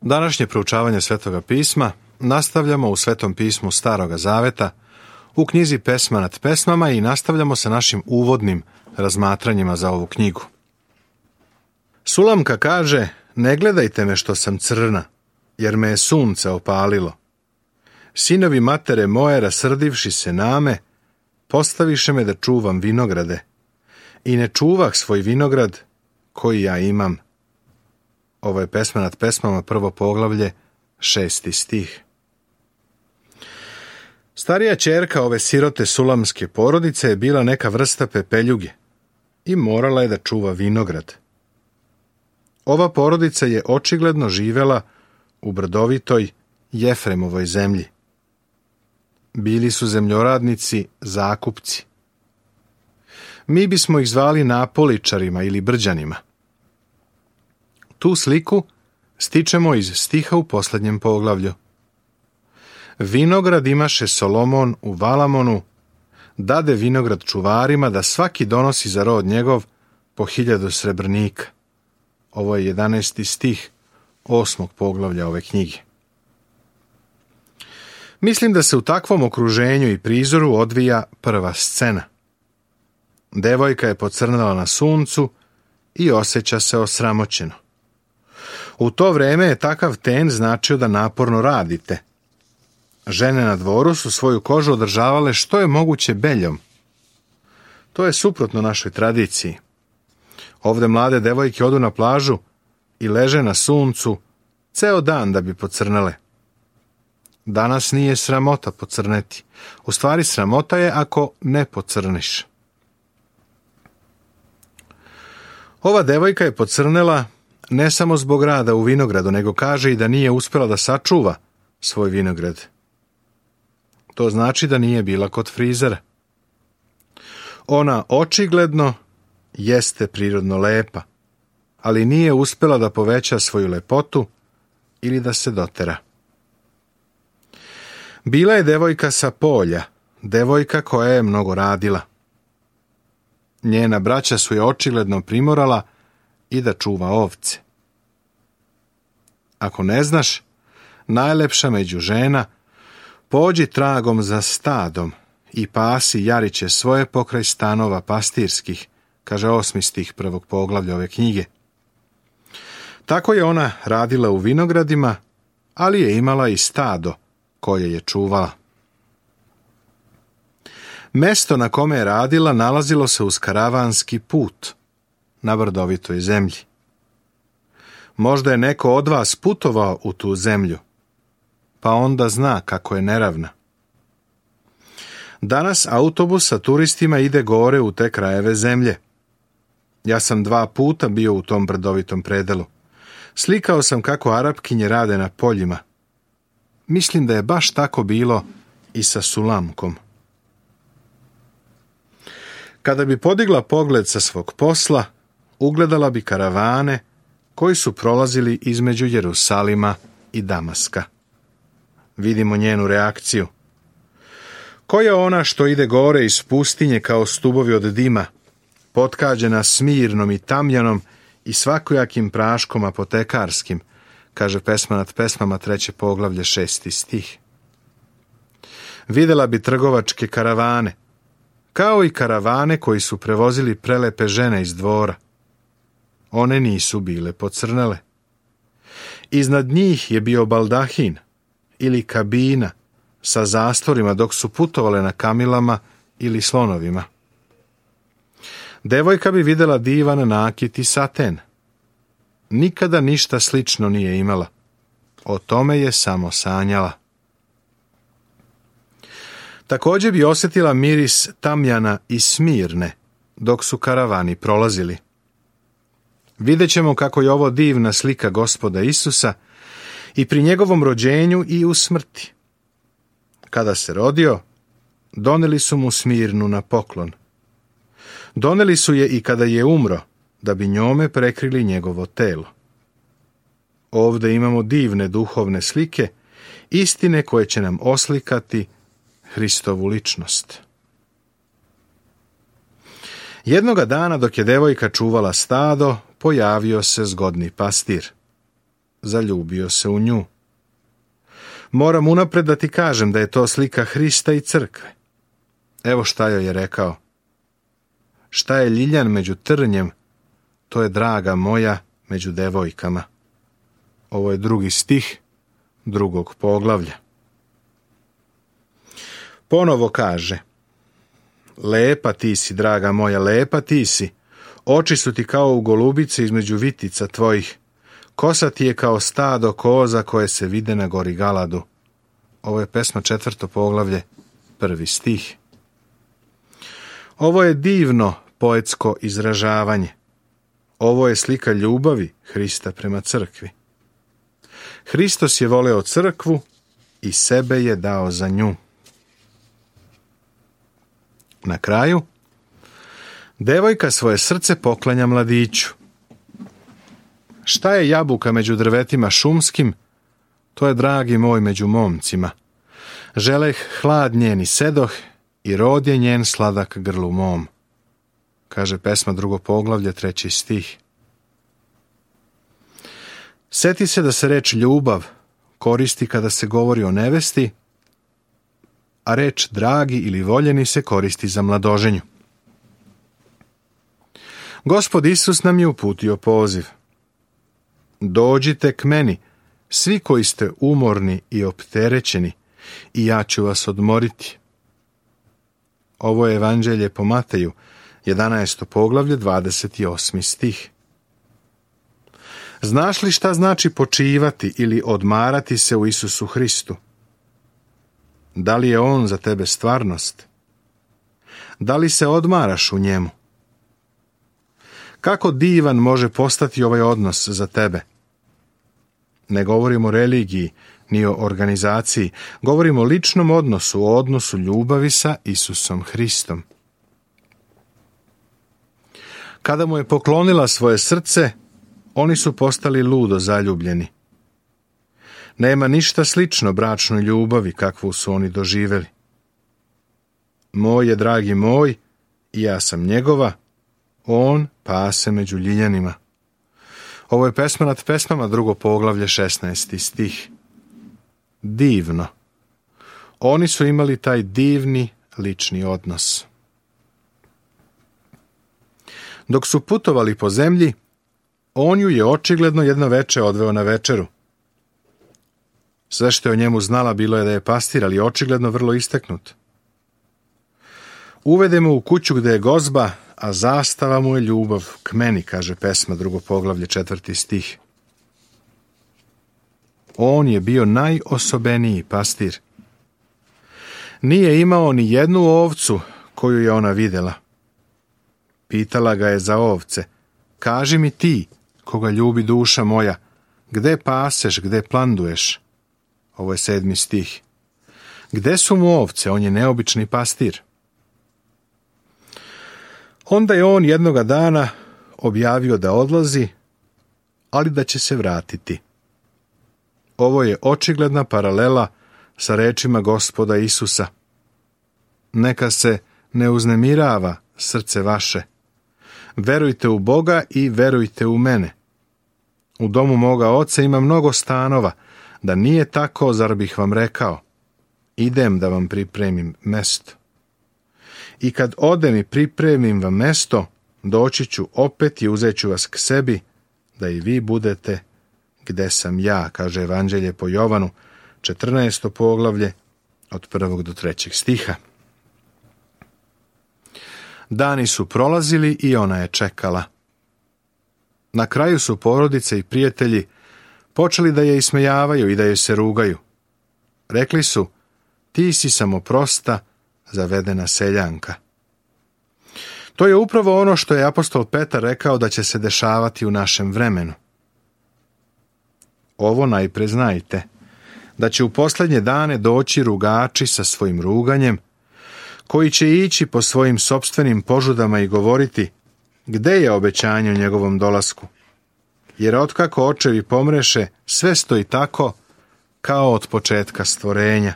Današnje proučavanje Svetoga pisma nastavljamo u Svetom pismu Staroga Zaveta, u knjizi Pesma nad pesmama i nastavljamo sa našim uvodnim razmatranjima za ovu knjigu. Sulamka kaže: ne gledajte me što sam crna, jer me je sunce opalilo. Sinovi matere moje, rasrdivši se name, postaviše me da čuvam vinograde. I ne čuvah svoj vinograd koji ja imam. Ovo je Pesma nad pesmama, 1. poglavlje, 6. stih. Starija ćerka ove sirote sulamske porodice je bila neka vrsta pepeljuge i morala je da čuva vinograd. Ova porodica je očigledno živela u brdovitoj Jefremovoj zemlji. Bili su zemljoradnici, zakupci. Mi bismo ih zvali napoličarima ili brđanima. Tu sliku stičemo iz stiha u posljednjem poglavlju. Vinograd imaše Solomon u Valamonu, dade vinograd čuvarima da svaki donosi za rod njegov po 1000 srebrnika. Ovo je 11. stih 8. poglavlja ove knjige. Mislim da se u takvom okruženju i prizoru odvija prva scena. Devojka je pocrnala na suncu i osjeća se osramoćeno. U to vreme je takav ten značio da naporno radite. Žene na dvoru su svoju kožu održavale što je moguće beljom. To je suprotno našoj tradiciji. Ovde mlade devojke odu na plažu i leže na suncu ceo dan da bi pocrnale. Danas nije sramota pocrneti. U stvari sramota je ako ne pocrniš. Ova devojka je pocrnela ne samo zbog rada u vinogradu, nego kaže i da nije uspjela da sačuva svoj vinograd. To znači da nije bila kod frizera. Ona očigledno jeste prirodno lepa, ali nije uspjela da poveća svoju lepotu ili da se dotera. Bila je devojka sa polja, devojka koja je mnogo radila. Njena braća su je očigledno primorala i da čuva ovce. Ako ne znaš, najlepša među žena, pođi tragom za stadom i pasi jariće svoje pokraj stanova pastirskih, kaže 8. stih 1. poglavlja ove knjige. Tako je ona radila u vinogradima, ali je imala i stado koje je čuvala. Mesto na kome je radila nalazilo se uz karavanski put na brdovitoj zemlji. Možda je neko od vas putovao u tu zemlju, pa onda zna kako je neravna. Danas autobus sa turistima ide gore u te krajeve zemlje. Ja sam 2 puta bio u tom brdovitom predelu. Slikao sam kako Arapkinje rade na poljima. Mislim da je baš tako bilo i sa Sulamkom. Kada bi podigla pogled sa svog posla, ugledala bi karavane koji su prolazili između Jerusalima i Damaska. Vidimo njenu reakciju. Ko je ona što ide gore iz pustinje kao stubovi od dima, potkađena smirnom i tamjanom i svakojakim praškom apotekarskim, kaže Pesma nad pesmama, 3. poglavlje, 6. stih. Videla bi trgovačke karavane, kao i karavane koji su prevozili prelepe žene iz dvora. One nisu bile pocrnele. Iznad njih je bio baldahin ili kabina sa zastorima dok su putovale na kamilama ili slonovima. Devojka bi videla divan nakit i saten. Nikada ništa slično nije imala. O tome je samo sanjala. Također bi osjetila miris tamjana i smirne dok su karavani prolazili. Vidjet ćemo kako je ovo divna slika Gospoda Isusa i pri njegovom rođenju i u smrti. Kada se rodio, doneli su mu smirnu na poklon. Doneli su je i kada je umro, da bi njome prekrili njegovo telo. Ovdje imamo divne duhovne slike, istine koje će nam oslikati Hristovu ličnost. Jednoga dana dok je devojka čuvala stado, pojavio se zgodni pastir. zaljubio se u nju. Moram unapred da ti kažem da je to slika Hrista i crkve. Evo šta joj je rekao. Šta je ljiljan među trnjem, to je draga moja među devojkama. Ovo je 2. stih 2. poglavlja. Ponovo kaže: lepa ti si, draga moja, lepa ti si. Oči su ti kao u golubice između vitica tvojih. Kosa ti je kao stado koza koje se vide na gori Galadu. Ovo je pesma 4. poglavlje, 1. stih. Ovo je divno poetsko izražavanje. Ovo je slika ljubavi Hrista prema crkvi. Hristos je voleo crkvu i sebe je dao za nju. Na kraju, devojka svoje srce poklanja mladiću. Šta je jabuka među drvetima šumskim, to je dragi moj među momcima. Želeh hlad njen i sedoh i rod je njen sladak grlu mom. Kaže pesma 2. poglavlje, 3. stih. Seti se da se reč ljubav koristi kada se govori o nevesti, a reč dragi ili voljeni se koristi za mladoženju. Gospod Isus nam je uputio poziv. Dođite k meni, svi koji ste umorni i opterećeni, i ja ću vas odmoriti. Ovo je evanđelje po Mateju, 11. poglavlje, 28. stih. Znaš li šta znači počivati ili odmarati se u Isusu Hristu? Da li je on za tebe stvarnost? Da li se odmaraš u njemu? Kako divan može postati ovaj odnos za tebe? Ne govorimo o religiji, ni o organizaciji, govorimo o ličnom odnosu, o odnosu ljubavi sa Isusom Hristom. Kada mu je poklonila svoje srce, oni su postali ludo zaljubljeni. Nema ništa slično bračnoj ljubavi kakvu su oni doživjeli. Moj je dragi moj i ja sam njegova, on pase među ljiljanima. Ovo je pesma nad pesmama, 2. poglavlje, 16. stih. Divno. Oni su imali taj divni lični odnos. Dok su putovali po zemlji, on ju je očigledno jedno veče odveo na večeru. Sve što je o njemu znala bilo je da je pastir, ali očigledno vrlo isteknut. Uvedemo u kuću gde je gozba, a zastava mu je ljubav k meni, kaže pesma, 2. poglavlje, 4. stih. On je bio najosobeniji pastir. Nije imao ni jednu ovcu koju je ona vidjela. Pitala ga je za ovce: kaži mi ti, koga ljubi duša moja, gde paseš, gde planduješ? Ovo je 7. stih. Gde su mu ovce? On je neobični pastir. Onda je on jednoga dana objavio da odlazi, ali da će se vratiti. Ovo je očigledna paralela sa rečima Gospoda Isusa. Neka se ne uznemirava srce vaše. Verujte u Boga i verujte u mene. U domu moga oca ima mnogo stanova. Da nije tako, zar bih vam rekao? Idem da vam pripremim mesto. I kad odem i pripremim vam mesto, doći ću opet i uzet ću vas k sebi, da i vi budete gde sam ja, kaže evanđelje po Jovanu, 14. poglavlje, od 1. do 3. stiha. Dani su prolazili i ona je čekala. Na kraju su porodice i prijatelji počeli da je ismejavaju i da je se rugaju. Rekli su: ti si samo prosta, zavedena seljanka. To je upravo ono što je apostol Petar rekao da će se dešavati u našem vremenu. Ovo najpre znajte, da će u posljednje dane doći rugači sa svojim ruganjem, koji će ići po svojim sopstvenim požudama i govoriti: gde je obećanje o njegovom dolasku? Jer otkako očevi pomreše, sve stoji tako kao od početka stvorenja,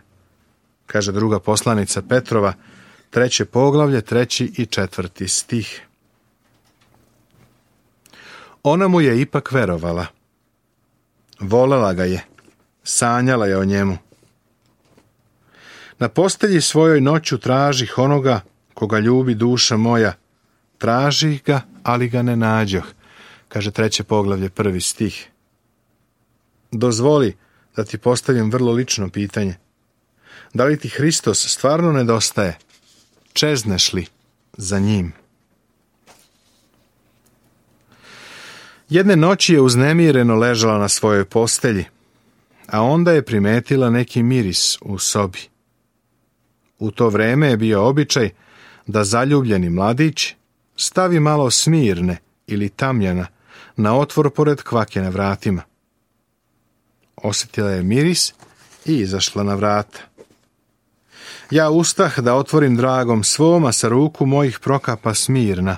kaže 2. poslanica Petrova, 3. poglavlje, 3. i 4. stih. Ona mu je ipak verovala. Volela ga je, sanjala je o njemu. Na postelji svojoj noću tražih onoga koga ljubi duša moja. Tražih ga, ali ga ne nađoh, kaže 3. poglavlje 1. stih. Dozvoli da ti postavim vrlo lično pitanje. Da li ti Hristos stvarno nedostaje? Čezneš li za njim? Jedne noći je uznemireno ležala na svojoj postelji, a onda je primetila neki miris u sobi. U to vreme je bio običaj da zaljubljeni mladić stavi malo smirne ili tamjana na otvor pored kvake na vratima. Osjetila je miris i izašla na vrata. Ja ustah da otvorim dragom svom, a sa ruku mojih prokapa smirna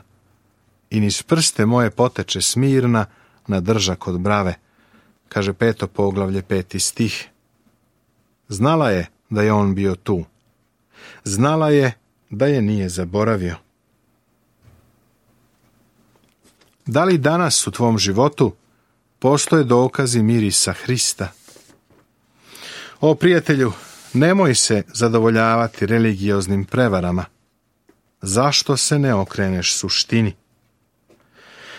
i niz prste moje poteče smirna na držak od brave, kaže 5. poglavlje 5. stih. Znala je da je on bio tu. Znala je da je nije zaboravio. Da li danas u tvom životu postoje dokazi mirisa Hrista? O prijatelju, nemoj se zadovoljavati religioznim prevarama. Zašto se ne okreneš suštini?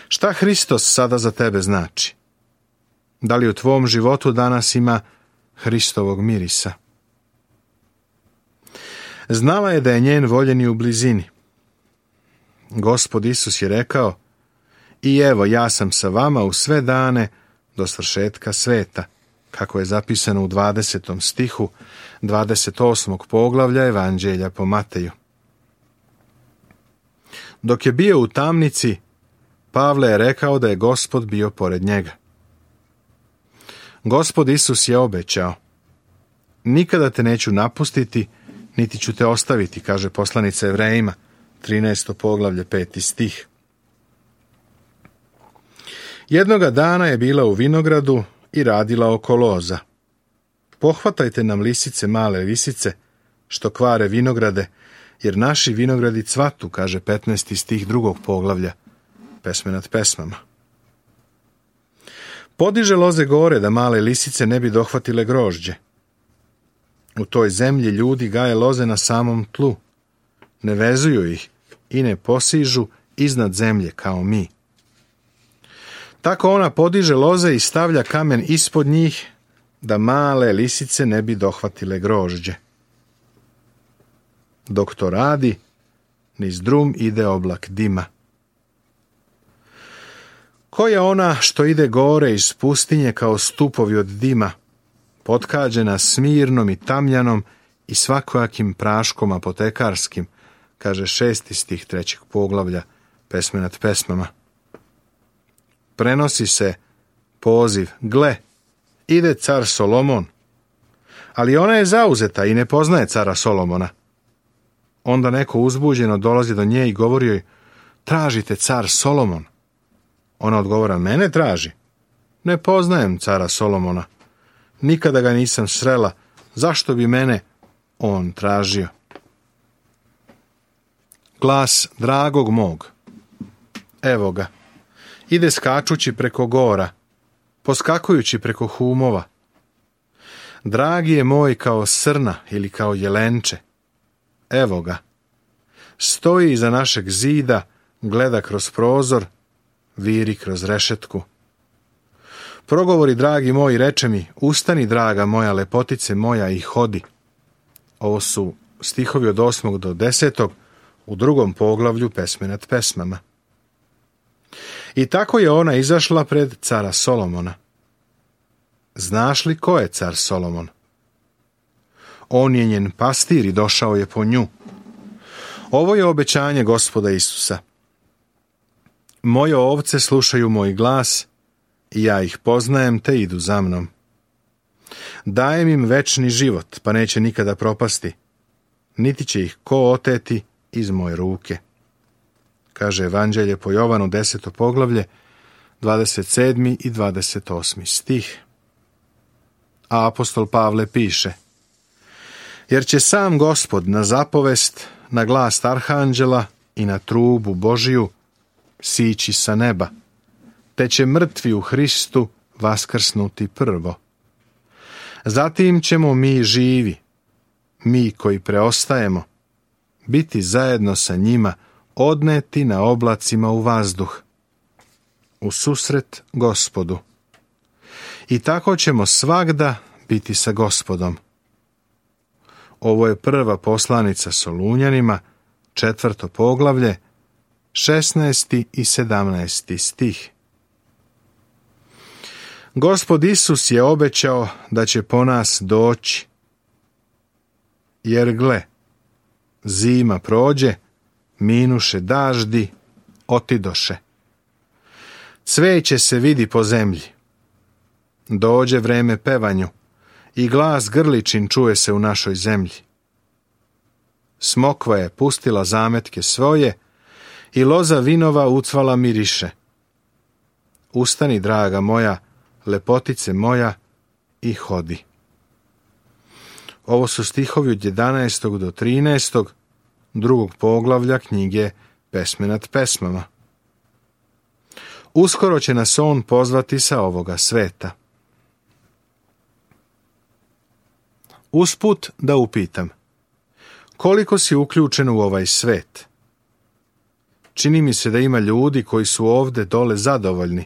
Šta Hristos sada za tebe znači? Da li u tvom životu danas ima Hristovog mirisa? Znala je da je njen voljeni u blizini. Gospod Isus je rekao: i evo, ja sam sa vama u sve dane do svršetka sveta, kako je zapisano u 20. stihu 28. poglavlja Evanđelja po Mateju. Dok je bio u tamnici, Pavle je rekao da je Gospod bio pored njega. Gospod Isus je obećao: nikada te neću napustiti, niti ću te ostaviti, kaže poslanica Evrejima, 13. poglavlje 5. stih. Jednoga dana je bila u vinogradu i radila oko loza. Pohvatajte nam lisice, male lisice, što kvare vinograde, jer naši vinogradi cvatu, kaže 15. stih 2. poglavlja Pesme nad pesmama. Podiže loze gore da male lisice ne bi dohvatile grožđe. U toj zemlji ljudi gaje loze na samom tlu, ne vezuju ih i ne posižu iznad zemlje kao mi. Tako ona podiže loze i stavlja kamen ispod njih, da male lisice ne bi dohvatile grožđe. Dok to radi, niz drum ide oblak dima. Ko je ona što ide gore iz pustinje kao stupovi od dima, potkađena smirnom i tamljanom i svakojakim praškom apotekarskim, kaže 6. stih 3. poglavlja Pesme nad pesmama. Prenosi se poziv: gle, ide car Solomon. Ali ona je zauzeta i ne poznaje cara Solomona. Onda neko uzbuđeno dolazi do nje i govori joj: tražite car Solomon. Ona odgovara: mene traži. Ne poznajem cara Solomona. Nikada ga nisam srela. Zašto bi mene on tražio? Glas dragog mog. Evo ga. Ide skačući preko gora, poskakujući preko humova. Dragi je moj kao srna ili kao jelenče. Evo ga. Stoji iza našeg zida, gleda kroz prozor, viri kroz rešetku. Progovori, dragi moj, reče mi: ustani, draga moja, lepotice moja, i hodi. Ovo su stihovi od 8. do 10. u 2. poglavlju Pesme nad pesmama. I tako je ona izašla pred cara Solomona. Znaš li ko je car Solomon? On je njen pastir i došao je po nju. Ovo je obećanje Gospoda Isusa. Moje ovce slušaju moj glas i ja ih poznajem te idu za mnom. Dajem im večni život, pa neće nikada propasti, niti će ih ko oteti iz moje ruke. Kaže Evanđelje po Jovanu 10. poglavlje 27. i 28. stih. A apostol Pavle piše: jer će sam Gospod na zapovest, na glas arhanđela i na trubu Božiju sići sa neba, te će mrtvi u Hristu vaskrsnuti prvo. Zatim ćemo mi živi, mi koji preostajemo, biti zajedno sa njima odneti na oblacima u vazduh, u susret Gospodu. I tako ćemo svagda biti sa Gospodom. Ovo je prva poslanica Solunjanima, 4. poglavlje, 16. i 17. stih. Gospod Isus je obećao da će po nas doći, jer gle, zima prođe, minuše daždi, otidoše. Cveće se vidi po zemlji. Dođe vreme pevanju i glas grličin čuje se u našoj zemlji. Smokva je pustila zametke svoje i loza vinova ucvala miriše. Ustani, draga moja, lepotice moja, i hodi. Ovo su stihovi od 11. do 13. 2. poglavlja knjige Pesme nad pesmama. Uskoro će nas on pozvati sa ovoga sveta. Usput da upitam, koliko si uključen u ovaj svet? Čini mi se da ima ljudi koji su ovde dole zadovoljni,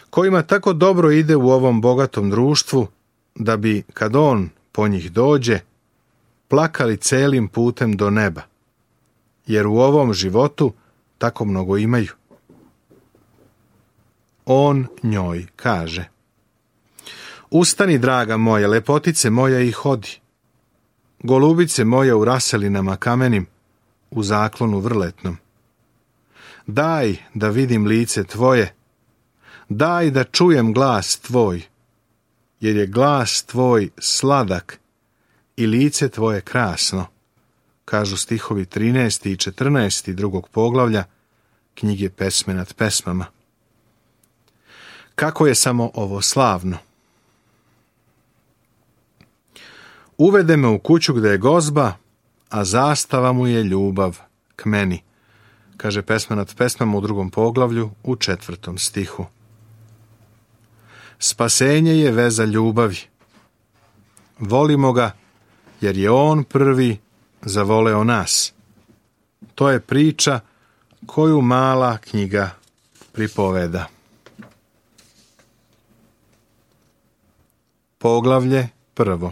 kojima tako dobro ide u ovom bogatom društvu, da bi, kad on po njih dođe, plakali celim putem do neba, jer u ovom životu tako mnogo imaju. On njoj kaže: Ustani, draga moja, lepotice moja, i hodi. Golubice moja u raselinama kamenim, u zaklonu vrletnom. Daj da vidim lice tvoje, daj da čujem glas tvoj, jer je glas tvoj sladak i lice tvoje krasno, kažu stihovi 13. i 14. 2. poglavlja knjige Pesme nad pesmama. Kako je samo ovo slavno! Uvede me u kuću gde je gozba, a zastava mu je ljubav k meni, kaže Pesma nad pesmama u 2. poglavlju u 4. stihu. Spasenje je veza ljubavi. Volimo ga, jer je on prvi zavoleo nas. To je priča koju mala knjiga pripoveda. Poglavlje 1.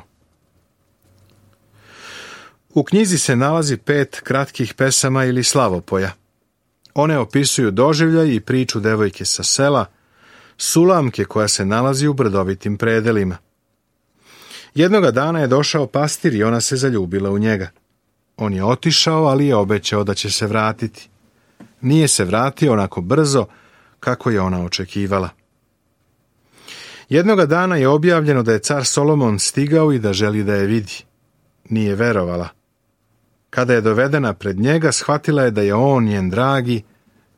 U knjizi se nalazi 5 kratkih pesama ili slavopoja. One opisuju doživljaj i priču devojke sa sela, Sulamke koja se nalazi u brdovitim predelima. Jednoga dana je došao pastir i ona se zaljubila u njega. On je otišao, ali je obećao da će se vratiti. Nije se vratio onako brzo kako je ona očekivala. Jednoga dana je objavljeno da je car Solomon stigao i da želi da je vidi. Nije verovala. Kada je dovedena pred njega, shvatila je da je on njen dragi,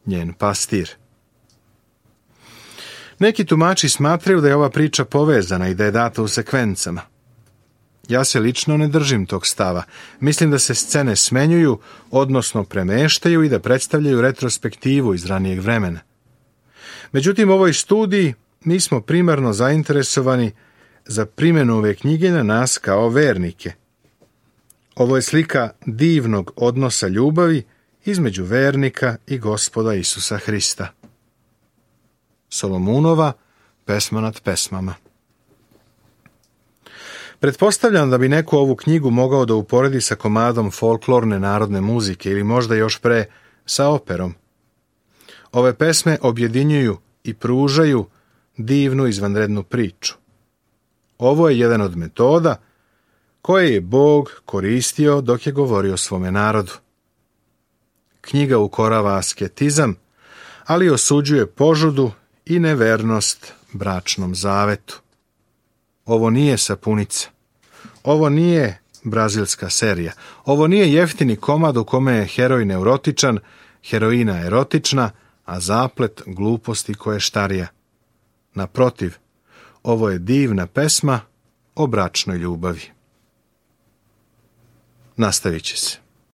njen pastir. Neki tumači smatraju da je ova priča povezana i da je data u sekvencama. Ja se lično ne držim tog stava. Mislim da se scene smenjuju, odnosno premeštaju i da predstavljaju retrospektivu iz ranijeg vremena. Međutim, u ovoj studiji mi smo primarno zainteresovani za primjenu ove knjige na nas kao vernike. Ovo je slika divnog odnosa ljubavi između vernika i Gospoda Isusa Hrista. Solomunova Pesma nad pesmama. Pretpostavljam da bi neko ovu knjigu mogao da uporedi sa komadom folklorne narodne muzike ili možda još pre sa operom. Ove pesme objedinjuju i pružaju divnu izvanrednu priču. Ovo je jedan od metoda koje je Bog koristio dok je govorio svome narodu. Knjiga ukorava asketizam, ali osuđuje požudu i nevernost bračnom zavetu. Ovo nije sapunica. Ovo nije brazilska serija. Ovo nije jeftini komad u kome je heroj neurotičan, heroina erotična, a zaplet gluposti koještarija. Naprotiv, ovo je divna pesma o bračnoj ljubavi. Nastavit će se.